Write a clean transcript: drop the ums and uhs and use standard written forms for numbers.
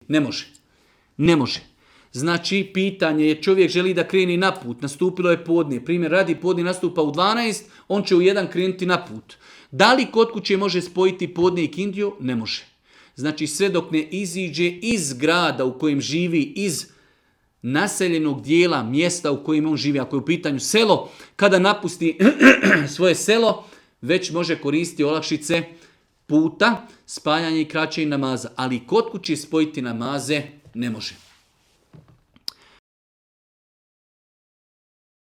Ne može. Ne može. Znači, pitanje je, čovjek želi da kreni na put, nastupilo je podne, primjer radi podne nastupa u 12, on će u 1 krenuti na put. Da li kod kuće može spojiti podne i kindiju? Ne može. Znači, sve dok ne iziđe iz grada u kojem živi, iz naseljenog dijela, mjesta u kojem on živi, ako je u pitanju selo, kada napusti svoje selo, već može koristiti olakšice puta, spajanje i kraćenje namaza. Ali kod kuće spojiti namaze ne može.